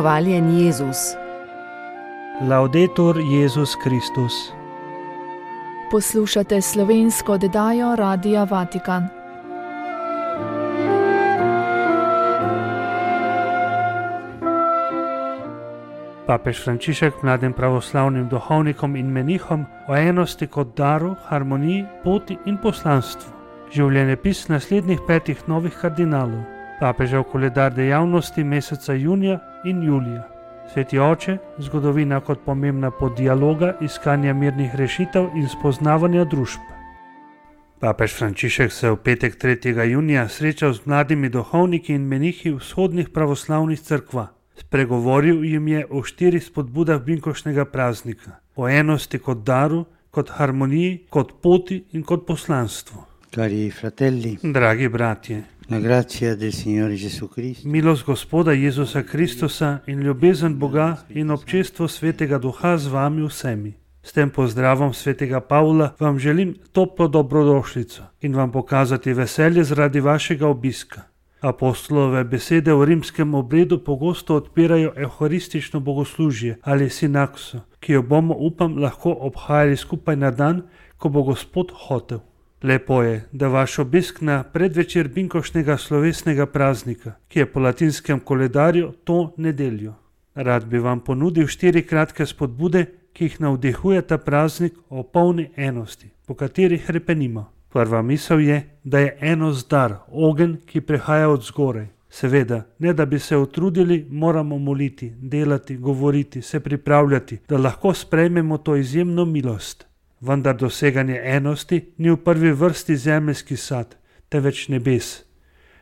Hvaljen Jezus. Laudetur Jezus Kristus. Poslušate slovensko oddajo Radia Vatikan. Papež Frančišek mladim pravoslavnim duhovnikom in menihom o enosti kot daru, harmoniji, poti in poslanstvu. Življenjepis naslednjih 5 novih kardinalov. Papežev koledar dejavnosti meseca junija in julija. Sveti oče, zgodovina kot pomembna pot dialoga, iskanja mirnih rešitev in spoznavanja družb. Papež Frančišek se v petek 3. junija srečal z mladimi duhovniki in menihi vzhodnih pravoslavnih cerkva. Spregovoril jim je o 4 spodbudah binkoštnega praznika, o enosti kot daru, kot harmoniji, kot poti in kot poslanstvu. Cari fratelli, dragi bratje, la grazia del Signore Gesù Cristo, milost Gospoda Jezusa Kristusa in ljubezen Boga in občestvo Svetega Duha z vami vsemi. S tem pozdravom Svetega Pavla vam želim toplo dobrodošlico in vam pokazati veselje zaradi vašega obiska. Apostolove besede v rimskem obredu pogosto odpirajo evharistično bogoslužje ali sinakso, ki jo bomo, upam, lahko obhajali skupaj na dan, ko bo Gospod hotel. Lepo je, da vaš obisk na predvečer binkoštnega slovesnega praznika, ki je po latinskem koledarju to nedeljo. Rad bi vam ponudil 4 kratke spodbude, ki jih navdihuje ta praznik o polni enosti, po katerih hrepenimo. Prva misel je, da je enost dar, ogenj, ki prihaja od zgoraj. Seveda, ne da bi se utrudili, moramo moliti, delati, govoriti, se pripravljati, da lahko sprejmemo to izjemno milost. Vendar doseganje enosti ni v prvi vrsti zemeljski sad, temveč nebes.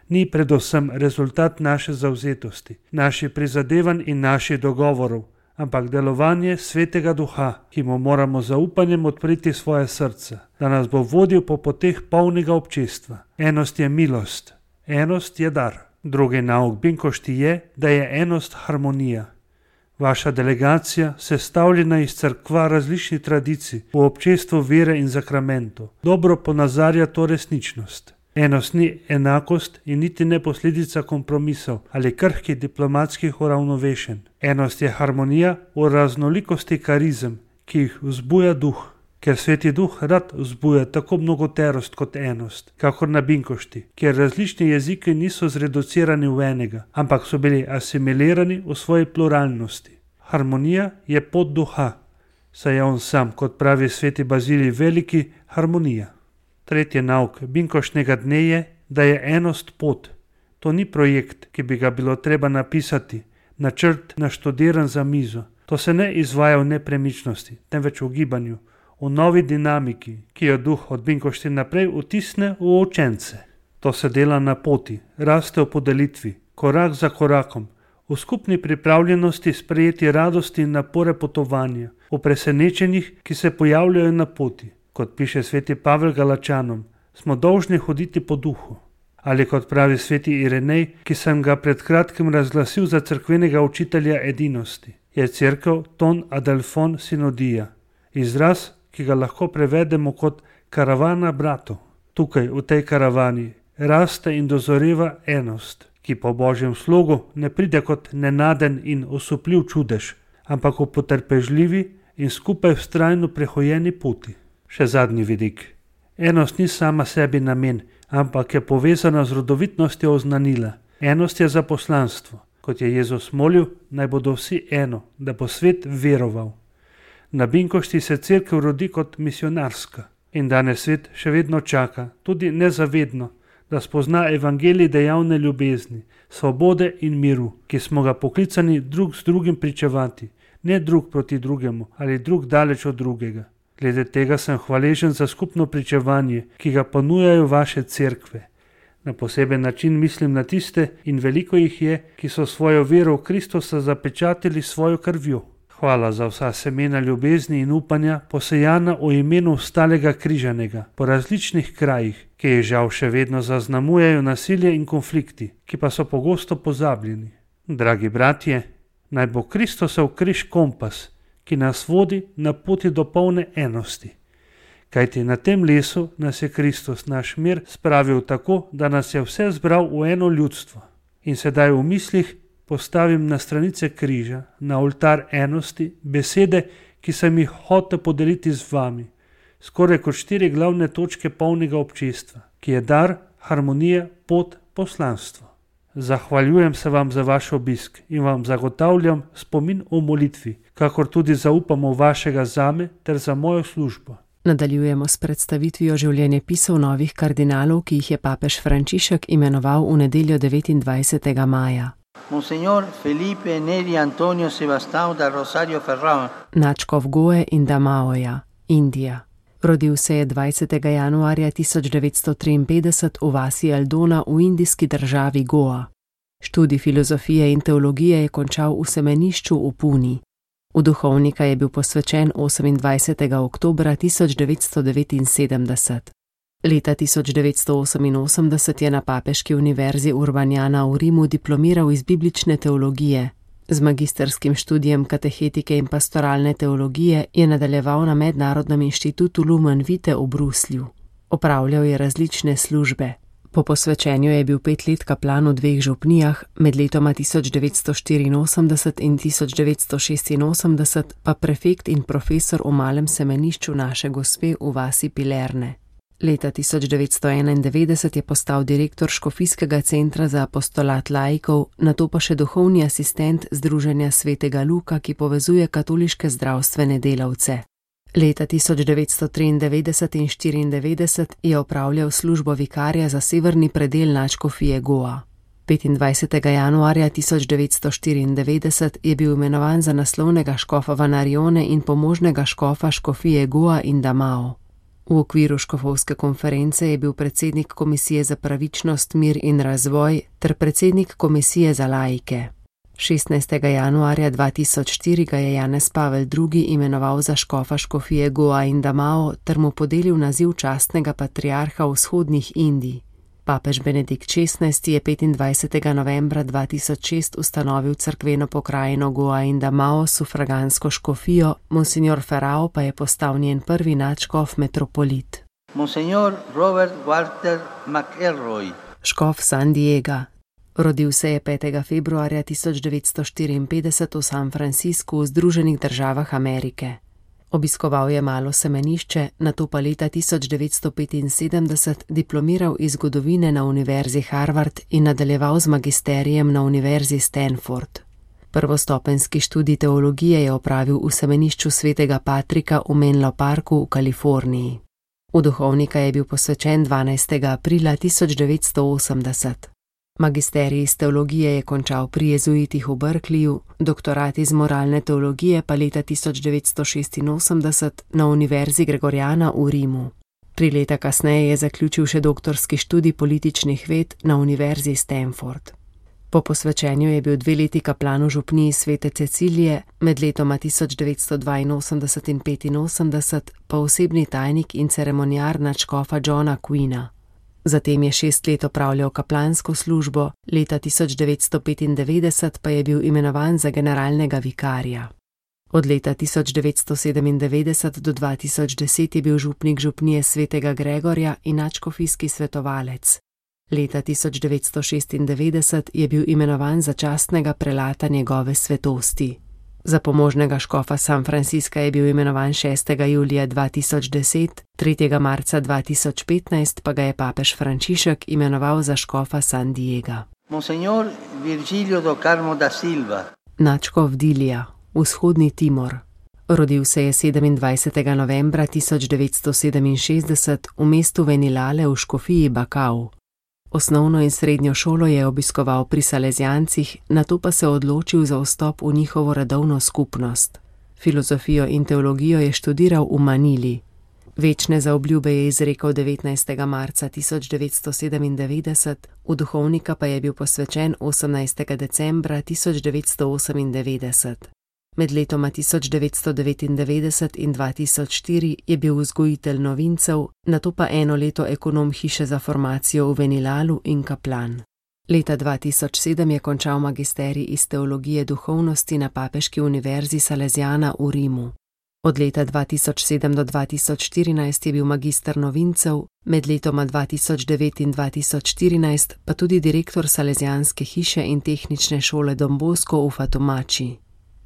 Ni predvsem rezultat naše zavzetosti, naših prizadevanj in naših dogovorov, ampak delovanje Svetega Duha, ki mu moramo zaupanjem odpreti svoje srce, da nas bo vodil po poteh polnega občestva. Enost je milost, enost je dar. Drugi nauk binkošti je, da je enost harmonija. Vaša delegacija, sestavljena iz cerkva različnih tradicij, v občestvu vere in zakramentov, dobro ponazarja to resničnost. Enost ni enakost in niti ne posledica kompromisov ali krhkih diplomatskih uravnovešenj. Enost je harmonija v raznolikosti karizem, ki jih vzbuja duh, ker Sveti Duh rad vzbuja tako mnogoterost kot enost, kakor na binkošti, kjer različni jeziki niso zreducirani v enega, ampak so bili asimilirani v svoji pluralnosti. Harmonija je pot duha, saj je on sam, kot pravi sveti Bazilij Veliki, harmonija. Tretji nauk binkoštnega dne je, da je enost pot. To ni projekt, ki bi ga bilo treba napisati, načrt naštudiran za mizo. To se ne izvaja v nepremičnosti, temveč v gibanju, v novi dinamiki, ki jo duh od binkošti naprej vtisne v učence. To se dela na poti, raste v podelitvi, korak za korakom, v skupni pripravljenosti sprejeti radosti in napore potovanja, v presenečenjih, ki se pojavljajo na poti. Kot piše sveti Pavel Galačanom, smo dolžni hoditi po duhu. Ali kot pravi sveti Irenej, ki sem ga pred kratkim razglasil za cerkvenega učitelja edinosti, je cerkev ton adelphon synodija, izraz, ki ga lahko prevedemo kot karavana bratov. Tukaj, v tej karavani, raste in dozoreva enost, ki po Božjem slogu ne pride kot nenaden in osupljiv čudež, ampak v potrpežljivi in skupaj vztrajno prehojeni poti. Še zadnji vidik. Enost ni sama sebi namen, ampak je povezana z rodovitnostjo oznanila. Enost je za poslanstvo, kot je Jezus molil, naj bodo vsi eno, da bo svet veroval. Na binkošti se cerkev rodi kot misionarska in danes svet še vedno čaka, tudi nezavedno, da spozna evangelij dejavne ljubezni, svobode in miru, ki smo ga poklicani drug z drugim pričevati, ne drug proti drugemu ali drug daleč od drugega. Glede tega sem hvaležen za skupno pričevanje, ki ga ponujajo vaše cerkve. Na poseben način mislim na tiste, in veliko jih je, ki so svojo vero v Kristusa zapečatili svojo krvjo. Hvala za vsa semena ljubezni in upanja, posejana v imenu stalega križanega, po različnih krajih, ki jih žal še vedno zaznamujejo nasilje in konflikti, ki pa so pogosto pozabljeni. Dragi bratje, naj bo Kristusov križ kompas, ki nas vodi na poti do polne enosti. Kajti na tem lesu nas je Kristus, naš mir, spravil tako, da nas je vse zbral v eno ljudstvo. In sedaj v mislih postavim na stranice križa, na oltar enosti, besede, ki sem jih hotel podeliti z vami, skoraj kot 4 glavne točke polnega občestva, ki je dar, harmonija, pot, poslanstvo. Zahvaljujem se vam za vaš obisk in vam zagotavljam spomin o molitvi, kakor tudi zaupamo vašega zame ter za mojo službo. Nadaljujemo s predstavitvijo življenjepisov novih kardinalov, ki jih je papež Frančišek imenoval v nedeljo 29. maja. Monsignor Felipe Neri Antonio Sebastião da Rosario Ferrão, Nadškof Goe in Damaoja, Indija. Rodil se je 20. januarja 1953 v vasi Aldona v indijski državi Goa. Študij filozofije in teologije je končal v semenišču v Puni. V duhovnika je bil posvečen 28. oktobra 1979. Leta 1988 je na Papeški univerzi Urbaniana v Rimu diplomiral iz biblične teologije. Z magisterskim študijem katechetike in pastoralne teologije je nadaljeval na Mednarodnem inštitutu Lumen Vitae v Bruslju. Opravljal je različne službe. Po posvečenju je bil 5 let kaplan v 2 župnijah, med letoma 1984 in 1986 pa prefekt in profesor v malem semenišču Naše Gospe v vasi Pilerne. Leta 1991 je postal direktor Škofijskega centra za apostolat laikov, nato pa še duhovni asistent Združenja svetega Luka, ki povezuje katoliške zdravstvene delavce. Leta 1993 in 1994 je opravljal službo vikarja za severni predel nadškofije Goa. 25. januarja 1994 je bil imenovan za naslovnega škofa Vanarione in pomožnega škofa škofije Goa in Damao. V okviru škofovske konference je bil predsednik Komisije za pravičnost, mir in razvoj ter predsednik Komisije za laike. 16. januarja 2004 ga je Janez Pavel II. Imenoval za škofa škofije Goa in Damao ter mu podelil naziv častnega patriarha vzhodnih Indij. Papež Benedikt XVI. Je 25. novembra 2006 ustanovil cerkveno pokrajino Goa in Damao s sufragansko škofijo, Monsignor Ferrao pa je postal njen prvi nadškof metropolit. Monsignor Robert Walter McElroy, Škof San Diega. Rodil se je 5. februarja 1954 v San Franciscu v Združenih državah Amerike. Obiskoval je malo semenišče, nato pa leta 1975 diplomiral iz zgodovine na Univerzi Harvard in nadaljeval z magisterijem na Univerzi Stanford. Prvostopenjski študij teologije je opravil v semenišču svetega Patrika v Menlo Parku v Kaliforniji. V duhovnika je bil posvečen 12. aprila 1980. Magisterij iz teologije je končal pri jezuitih v Berkeleyju, doktorat iz moralne teologije pa leta 1986 na Univerzi Gregoriana v Rimu. 3 leta kasneje je zaključil še doktorski študij političnih ved na Univerzi Stanford. Po posvečenju je bil 2 leti kaplan v župniji Svete Cecilije, med letoma 1982 in 1985 pa osebni tajnik in ceremoniar nadškofa Johna Queena. Zatem je 6 let opravljal kaplansko službo, leta 1995 pa je bil imenovan za generalnega vikarja. Od leta 1997 do 2010 je bil župnik župnije svetega Gregorja in nadškofijski svetovalec. Leta 1996 je bil imenovan za častnega prelata njegove svetosti. Za pomožnega škofa San Francisca je bil imenovan 6. julija 2010, 3. marca 2015 pa ga je papež Frančišek imenoval za škofa San Diega. Monsignor Virgilio do Carmo da Silva, Nadškof Dilija, vzhodni Timor. Rodil se je 27. novembra 1967 v mestu Venilale v škofiji Bakau. Osnovno in srednjo šolo je obiskoval pri Salezijancih, nato pa se odločil za vstop v njihovo redovno skupnost. Filozofijo in teologijo je študiral v Manili. Večne zaobljube je izrekel 19. marca 1997, v duhovnika pa je bil posvečen 18. decembra 1998. Med letoma 1999 in 2004 je bil vzgojitelj novincev, nato pa 1 leto ekonom hiše za formacijo v Venilalu in kaplan. Leta 2007 je končal magisterij iz teologije duhovnosti na Papeški univerzi Salesiana v Rimu. Od leta 2007 do 2014 je bil magister novincev, med letoma 2009 in 2014 pa tudi direktor Salezijanske hiše in tehnične šole Don Bosco v Fatomači.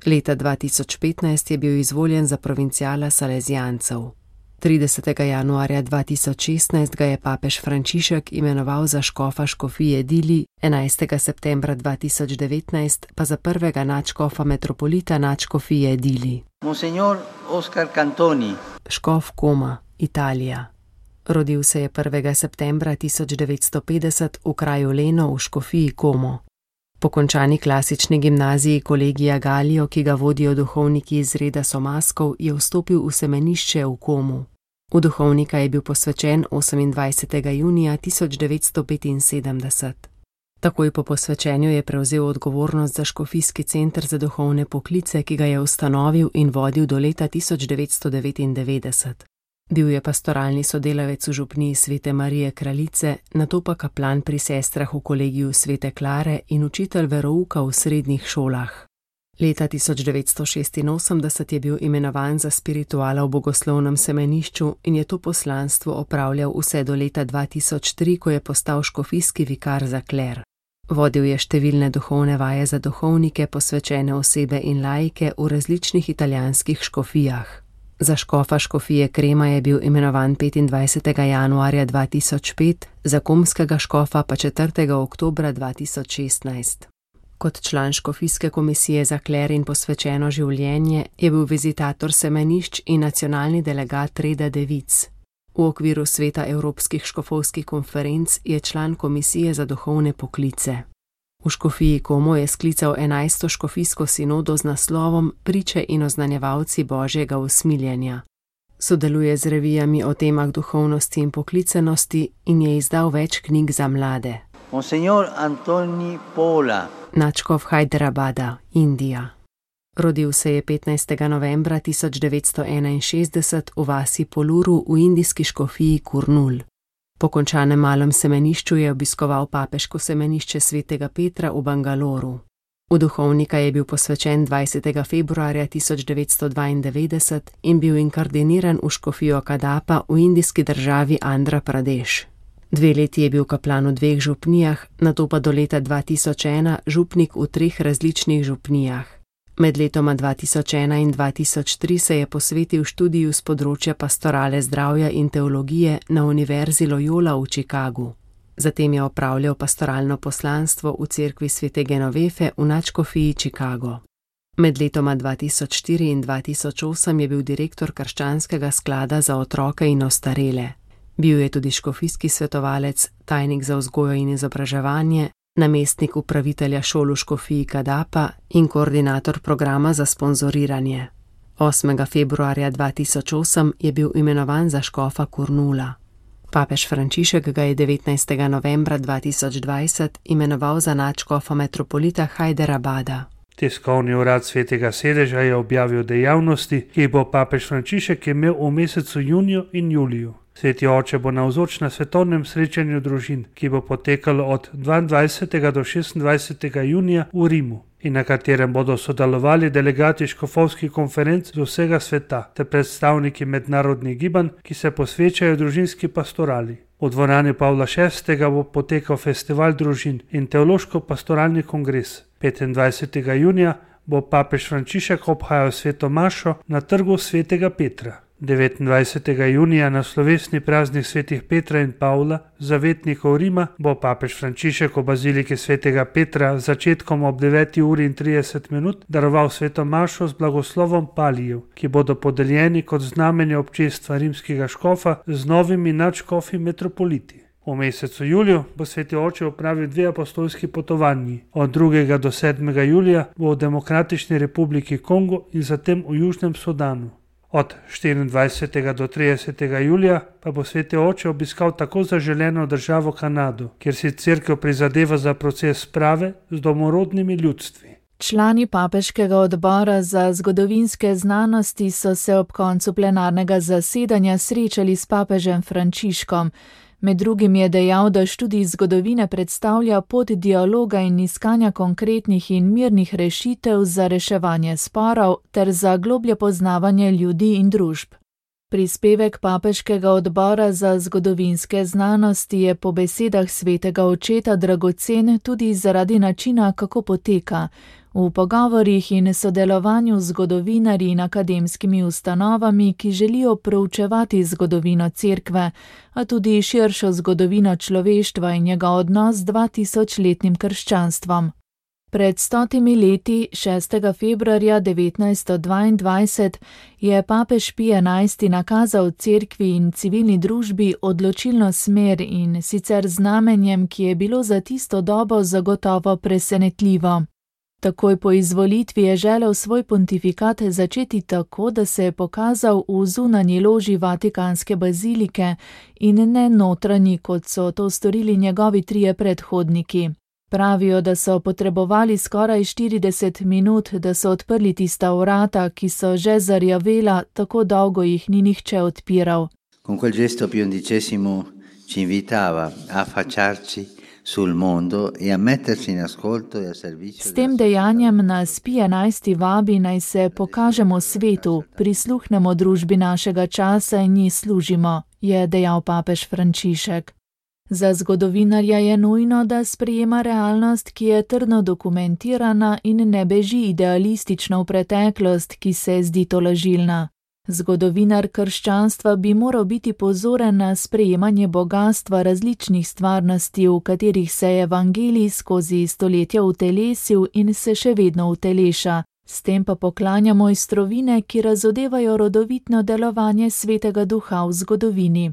Leta 2015 je bil izvoljen za provinciala Salezijancev. 30. januarja 2016 ga je papež Frančišek imenoval za škofa škofije Dili, 11. septembra 2019 pa za prvega nadškofa metropolita nadškofije Dili. Monsignor Oscar Cantoni, škof Koma, Italija. Rodil se je 1. septembra 1950 v kraju Leno v škofiji Como. Po končani klasični gimnaziji Kolegija Gallijo, ki ga vodijo duhovniki iz reda Somaskov, je vstopil v semenišče v Komu. V duhovnika je bil posvečen 28. junija 1975. Takoj po posvečenju je prevzel odgovornost za škofijski center za duhovne poklice, ki ga je ustanovil in vodil do leta 1999. Bil je pastoralni sodelavec v župniji Svete Marije Kraljice, nato pa kaplan pri sestrah v kolegiju Svete Klare in učitelj verouka v srednjih šolah. Leta 1986 je bil imenovan za spirituala v bogoslovnem semenišču in je to poslanstvo opravljal vse do leta 2003, ko je postal škofijski vikar za kler. Vodil je številne duhovne vaje za duhovnike, posvečene osebe in laike v različnih italijanskih škofijah. Za škofa škofije Krema je bil imenovan 25. januarja 2005, za komskega škofa pa 4. oktobra 2016. Kot član škofijske komisije za kler in posvečeno življenje je bil vizitator semenišč in nacionalni delegat reda devic. V okviru sveta Evropskih škofovskih konferenc je član komisije za duhovne poklice. V škofiji Como je sklical 11. škofijsko sinodo z naslovom Priče in oznanjevalci Božjega usmiljenja. Sodeluje z revijami o temah duhovnosti in poklicenosti in je izdal več knjig za mlade. Monsignor Antoni Pola, nadškof Hyderabada, Indija. Rodil se je 15. novembra 1961 v vasi Poluru v indijski škofiji Kurnul. Po končanem malem semenišču je obiskoval papeško semenišče Svetega Petra v Bangaloru. V duhovnika je bil posvečen 20. februarja 1992 in bil inkardiniran v škofijo Kadapa v indijski državi Andhra Pradesh. 2 leti je bil kaplan v 2 župnijah, nato pa do leta 2001 župnik v 3 različnih župnijah. Med letoma 2001 in 2003 se je posvetil študiju z področja pastorale zdravja in teologije na Univerzi Loyola v Chicagu. Zatem je opravljal pastoralno poslanstvo v cerkvi Svete Genovefe v nadškofiji Chicago. Med letoma 2004 in 2008 je bil direktor Krščanskega sklada za otroke in ostarele. Bil je tudi škofijski svetovalec, tajnik za vzgojo in izobraževanje, namestnik upravitelja šol v škofiji Kadapa in koordinator programa za sponzoriranje. 8. februarja 2008 je bil imenovan za škofa Kurnula. Papež Frančišek ga je 19. novembra 2020 imenoval za nadškofa metropolita Hyderabada. Tiskovni urad Svetega sedeža je objavil dejavnosti, ki jih bo papež Frančišek imel v mesecu juniju in juliju. Sveti oče bo navzoč na svetovnem srečanju družin, ki bo potekalo od 22. do 26. junija v Rimu in na katerem bodo sodelovali delegati škofovskih konferenc z vsega sveta ter predstavniki mednarodnih gibanj, ki se posvečajo družinski pastorali. V dvorani Pavla VI. Bo potekal festival družin in teološko-pastoralni kongres. 25. junija bo papež Frančišek obhajal sveto mašo na trgu Svetega Petra. 29. junija na slovesni praznik svetih Petra in Pavla, zavetnikov Rima, bo papež Frančišek v baziliki Svetega Petra z začetkom ob 9:30 daroval sveto mašo z blagoslovom palijev, ki bodo podeljeni kot znamenje občestva rimskega škofa z novimi nadškofi metropoliti. V mesecu juliju bo sveti oče opravil 2 apostolski potovanji. Od 2. do 7. julija bo v Demokratični republiki Kongo in zatem v Južnem Sudanu. Od 24. do 30. julija pa bo sveti oče obiskal tako zaželeno državo Kanado, kjer si cerkev prizadeva za proces sprave z domorodnimi ljudstvi. Člani papeškega odbora za zgodovinske znanosti so se ob koncu plenarnega zasedanja srečali s papežem Frančiškom. Med drugim je dejal, da študij zgodovine predstavlja pot dialoga in iskanja konkretnih in mirnih rešitev za reševanje sporov ter za globlje poznavanje ljudi in družb. Prispevek Papeškega odbora za zgodovinske znanosti je po besedah svetega očeta dragocen tudi zaradi načina, kako poteka. V pogovorih in sodelovanju z zgodovinarji in akademskimi ustanovami, ki želijo proučevati zgodovino Cerkve, a tudi širšo zgodovino človeštva in njegov odnos z 2000-letnim krščanstvom. Pred 100 leti, 6. februarja 1922, je papež Pij XI nakazal Cerkvi in civilni družbi odločilno smer in sicer znamenjem, ki je bilo za tisto dobo zagotovo presenetljivo. Takoj po izvolitvi je želel svoj pontifikat začeti tako, da se je pokazal v zunanji loži Vatikanske bazilike in ne notranji, kot so to storili njegovi trije predhodniki. Pravijo, da so potrebovali skoraj 40 minut, da so odprli tista vrata, ki so že zarjavela, tako dolgo jih ni nihče odpiral. Con quel gesto Pio XI ci invitava a affacciarci sul mondo e a metterci in ascolto e a servizio. S tem dejanjem nas Pij XI vabi, naj se pokažemo svetu, prisluhnemo družbi našega časa in ji služimo, je dejal papež Frančišek. Za zgodovinarja je nujno, da sprejema realnost, ki je trdno dokumentirana in ne beži idealistično v preteklost, ki se zdi tolažilna. Zgodovinar krščanstva bi moral biti pozoren na sprejemanje bogastva različnih stvarnosti, v katerih se je evangelij skozi stoletja utelesil in se še vedno uteleša. S tem pa poklanja mojstrovine, ki razodevajo rodovitno delovanje Svetega Duha v zgodovini.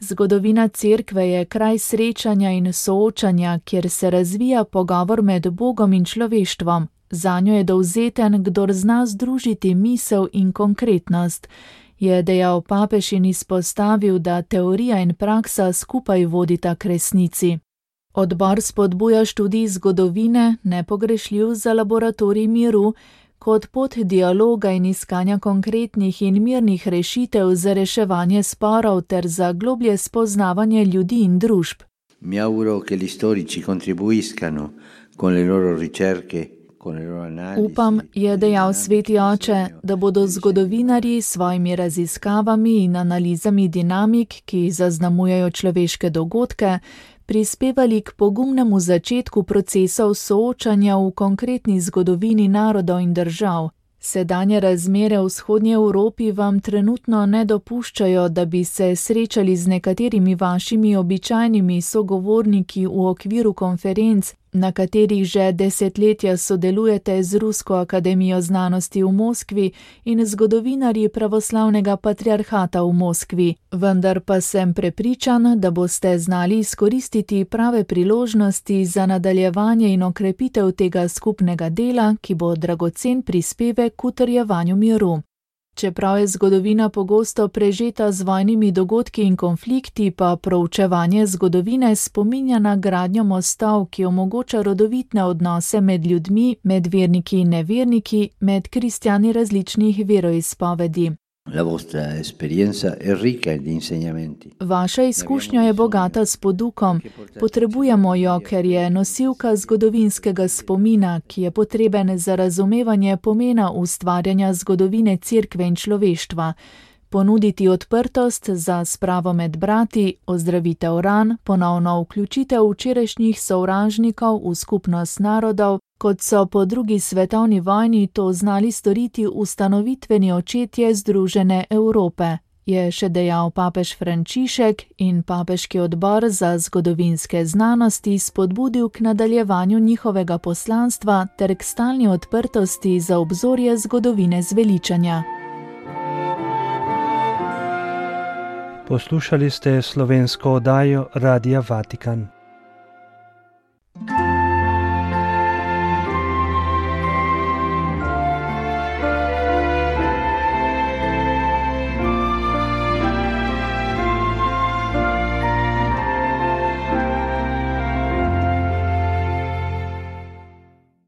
Zgodovina Cerkve je kraj srečanja in soočanja, kjer se razvija pogovor med Bogom in človeštvom. Zanjo je dovzeten, kdor zna združiti misel in konkretnost, je dejal papež in izpostavil, da teorija in praksa skupaj vodita k resnici. Odbor spodbuja študij zgodovine, nepogrešljiv za laboratorij miru, kot pot dialoga in iskanja konkretnih in mirnih rešitev za reševanje sporov ter za globlje spoznavanje ljudi in družb. Mi auguro che gli storici contribuiscano con le loro ricerche. Upam, je dejal sveti oče, da bodo zgodovinarji s svojimi raziskavami in analizami dinamik, ki zaznamujejo človeške dogodke, prispevali k pogumnemu začetku procesov soočanja v konkretni zgodovini narodov in držav. Sedanje razmere v vzhodnji Evropi vam trenutno ne dopuščajo, da bi se srečali z nekaterimi vašimi običajnimi sogovorniki v okviru konferenc, na katerih že desetletja sodelujete z Rusko akademijo znanosti v Moskvi in zgodovinarji pravoslavnega patriarhata v Moskvi. Vendar pa sem prepričan, da boste znali izkoristiti prave priložnosti za nadaljevanje in okrepitev tega skupnega dela, ki bo dragocen prispevek k utrjevanju miru. Čeprav je zgodovina pogosto prežeta z vojnimi dogodki in konflikti, pa proučevanje zgodovine spominja na gradnjo mostov, ki omogoča rodovitne odnose med ljudmi, med verniki in neverniki, med kristjani različnih veroizpovedi. La vostra esperienza è ricca di insegnamenti. Vaša izkušnja je bogata s podukom. Potrebujemo jo, ker je nosilka zgodovinskega spomina, ki je potreben za razumevanje pomena ustvarjanja zgodovine Cerkve in človeštva. Ponuditi odprtost za spravo med brati, ozdravitev ran, ponovno vključitev včerajšnjih sovražnikov v skupnost narodov, kot so po drugi svetovni vojni to znali storiti ustanovitveni očetje Združene Evrope, je še dejal papež Frančišek in papeški odbor za zgodovinske znanosti spodbudil k nadaljevanju njihovega poslanstva ter k stalni odprtosti za obzorje zgodovine zveličanja. Poslušali ste slovensko oddajo Radia Vatikan.